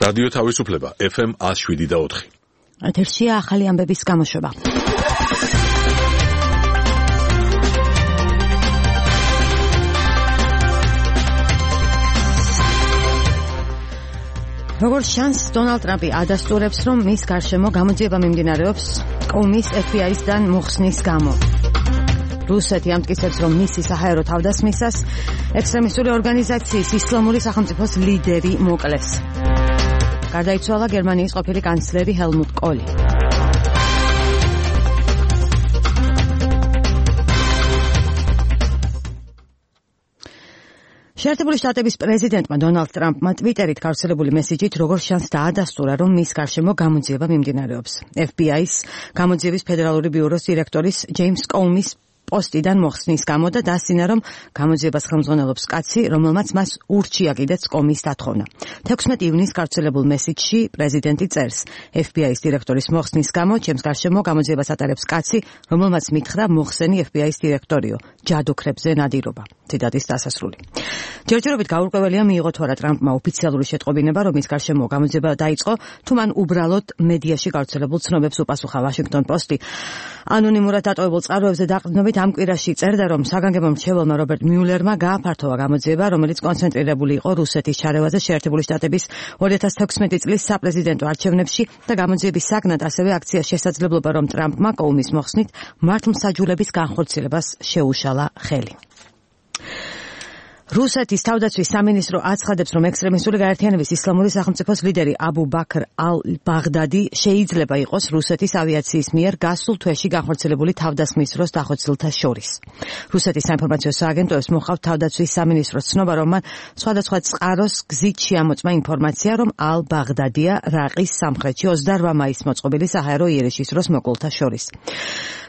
რადიო თავისუფლება FM 107.4. ეთერშია ახალი ამბების გამოშვება. როგორც შანს დონალდ ტრამპი ადასტურებს, რომ მის გარშემო გამოძიება მიმდინარეობს კომის FBI-დან მოხსნის გამო. რუსეთი ამტკიცებს, რომ მისი საჰაერო თავდასხმისას ექსტრემისტული ორგანიზაციის ისლამური სახელმწიფოს ლიდერი მოკლეს. გარდაიცვალა გერმანიის ყოფილი კანცლერი ჰელმუტ კოლი. შეერთებული შტატების პრეზიდენტმა დონალდ ტრამპმა ტვიტერით გავრცელებული მესიჯით როგორც შანს დაადასტურა, რომ მის გარშემო გამოძიება მიმდინარეობს. FBI-ს გამოძიების ფედერალური ბიუროს დირექტორის ჯეიმს კომის პოსტიდან მოხსნის გამო და დასცინა, რომ გამოძიებას ხელმძღვანელობს კაცი, რომელმაც მას ურჩია კიდეც კომის დათხოვნა. 16 ივნისს გავრცელებულ მესიჯში პრეზიდენტი წერს: FBI-ს დირექტორის მოხსნის გამო ჩემს გარშემო გამოძიებას ატარებს კაცი, რომელმაც მითხრა მოხსენი FBI-ს დირექტორიო, ჯადოქრებზე ნადირობა. ციტატის დასასრული. ჯერჯერობით გაურკვეველია მიიღო თუ არა ტრამპმა ოფიციალური შეტყობინება, რომ მის გარშემო გამოძიება დაიწყო, თუ მან უბრალოდ მედიაში გავრცელებულ ცნობებს უპასუხა. ვაშინგტონ პოსტი ანონიმურად დატოვებულ წყაროებზე დაყრდნობით ამ კვირაში წერდა, რომ საგანგებო მრჩეველმა რობერტ მიულერმა გააფართოვა გამოძიება, რომელიც კონცენტრირებული იყო რუსეთის ჩარევაზე შეერთებული შტატების 2016 წლის საპრეზიდენტო არჩევნებში და გამოძიების საგნად ასევე აქციას შესაძლებლობა, რომ ტრამპმა კომის მოხსნით მართლმსაჯულების განხორციელებას შეუშალა ხელი. რუსეთის თავდაცვის სამინისტრო აცხადებს, რომ ექსტრემისტული გაერთიანების ისლამური სახელმწიფოს ლიდერი აბუ ბაქრ ალ-ბაღდადი შეიძლება იყოს რუსეთის ავიაციის მიერ გასულ თვეში განხორციელებული თავდასხმის დროს დახოცილთა შორის. რუსეთის საინფორმაციო სააგენტოებს მოჰყავთ თავდაცვის სამინისტროს ცნობა, რომ მან სხვადასხვა წყაროს გზით შეამოწმა ინფორმაცია, რომ ალ-ბაღდადია რაყის სამხრეთში 28 მაისს მოწყობილი საჰაერო იერიშის დროს მოკლულთა შორის.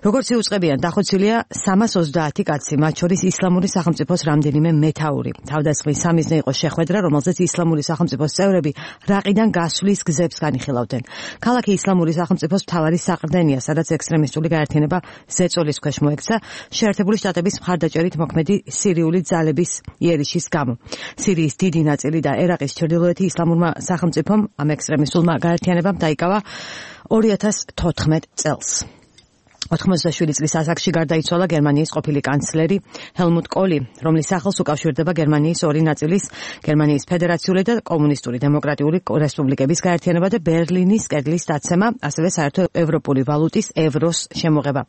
როგორც იუწყებიან, დახოცილია 330 კაცი, მათ შორის ისლამური სახელმწიფოს რამდენიმე მეთაური. თავდასხმის სამიზნე იყო შეხვედრა, რომელზეც ისლამური სახელმწიფოს წევრები რაყიდან გასვლის გზებს განიხილავდნენ. ქალაქი ისლამური სახელმწიფოს მთავარი საყრდენია, სადაც ექსტრემისტული გაერთიანება ზეწოლის ქვეშ მოექცა შეერთებული შტატების მხარდაჭერით მოქმედი სირიული ძალების იერიშის გამო. სირიის დიდი ნაწილი და ერაყის ჩრდილოეთი ისლამურმა სახელმწიფომ ამ ექსტრემისტულმა გაერთიანებამ დაიკავა 2014 წელს. 87 წლის ასაკში გარდაიცვალა გერმანიის ყოფილი კანცლერი ჰელმუტ კოლი, რომლის სახელს უკავშირდება გერმანიის ორი ნაწილის, გერმანიის ფედერაციული და კომუნისტური დემოკრატიული რესპუბლიკების გაერთიანება და ბერლინის კედლის დაცემა, ასევე საერთო ევროპული ვალუტის ევროს შემოღება.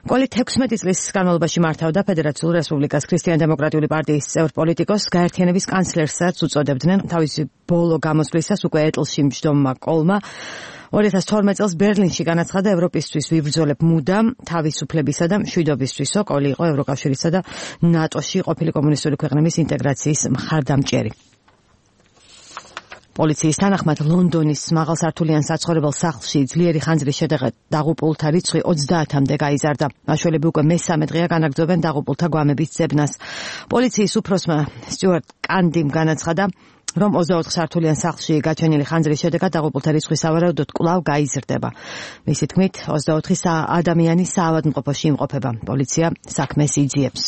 კოლი 16 წლის განმავლობაში მართავდა ფედერაციულ რესპუბლიკას. ქრისტიან-დემოკრატიული პარტიის წევრ პოლიტიკოს გაერთიანების კანცლერსაც უწოდებდნენ. თავისი ბოლო გამოსვლისას უკვე ეტლში მჯდომმა კოლმა 2012 წელს ბერლინში განაცხადა ევროპისთვის ვიბრძოლებ მუდამ თავისუფლებისა და მშვიდობისთვისო. კოლი იყო ევროკავშირისა და ნატოში ყოფილი კომუნისტური ქვეყნების ინტეგრაციის მხარდამჭერი. პოლიციის თანახმად ლონდონის მაღალსართულიან საცხოვრებელ სახლში ძლიერი ხანძრის შედეგად დაღუპულთა რიცხვი 30-მდე გაიზარდა. მაშველები უკვე მესამე დღეა განაგრძობენ დაღუპულთა გვამების ძებნას. პოლიციის უფროსმა სტიუარტ კანდიმ განაცხადა, რომ 24 სართულიან სახლში გაჩენილი ხანძრის შედეგად დაღუპულთა რიცხვი სავარაუდოდ კვლავ გაიზრდება. მისი თქმით, 24 ადამიანი საავადმყოფოში იმყოფება. პოლიცია საქმეს იძიებს.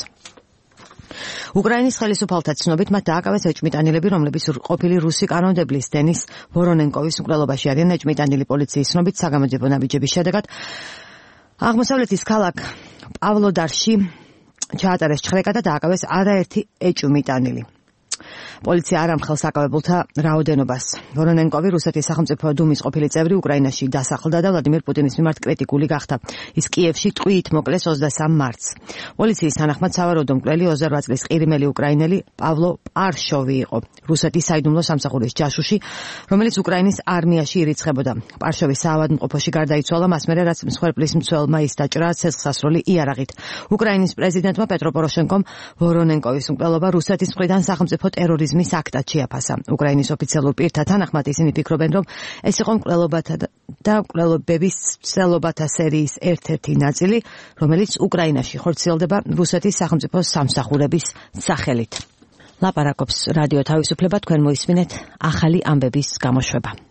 უკრაინის ხელისუფალთა ცნობით მათ დააკავეს ეჭვმიტანილები, რომლებიც ყოფილი რუსი კანონმდებლის დენის ვორონენკოვის მკვლელობაში არიან. ეჭვმიტანილი პოლიციის ცნობით საგამოძიებო ნაბიჯების შედეგად აღმოსავლეთის ქალაქ პავლოდარში ჩაატარეს ჩხრეკა და დააკავეს არაერთი ეჭვმიტანილი. პოლიცია არ ამხელს აკავებულთა რაოდენობას. ვორონენკოვი რუსეთის სახელმწიფო დუმის ყოფილი წევრი უკრაინაში დასახლდა და ვლადიმერ პუტინის მიმართ კრიტიკული გახდა. ის კიევში ტყვიით მოკლეს 23 მარტს. პოლიციის თანახმად სავარაუდო მკვლელი 28 წლის ყირიმელი უკრაინელი პავლო პარშოვი იყო. რუსეთის საიდუმლო სამსახურის ჯაშუში, რომელიც უკრაინის არმიაში ირიცხებოდა. პარშოვი საავადმყოფოში გარდაიცვალა მას მერე, რაც მსხვერპლის მცველმა ის დაჭრა ცეცხლსასროლი იარაღით. უკრაინის პრეზიდენტმა პეტრო პოროშენკომ ვორონენკოვის მკვლელობა რუსეთის მხრიდან სახელმწიფო ტერორიზმის აქტად შეაფასა. უკრაინის ოფიციალურ პირთა თანახმად ისინი ფიქრობენ, რომ ეს იყო მკვლელობათა და მკვლელობების ცელობათა სერიის ერთ-ერთი ნაწილი, რომელიც უკრაინაში ხორციელდება რუსეთის სახელმწიფო სამსახურების სახელით. ლაპარაკობს რადიო თავისუფლება, თქვენ მოისმინეთ ახალი ამბების გამოშვება.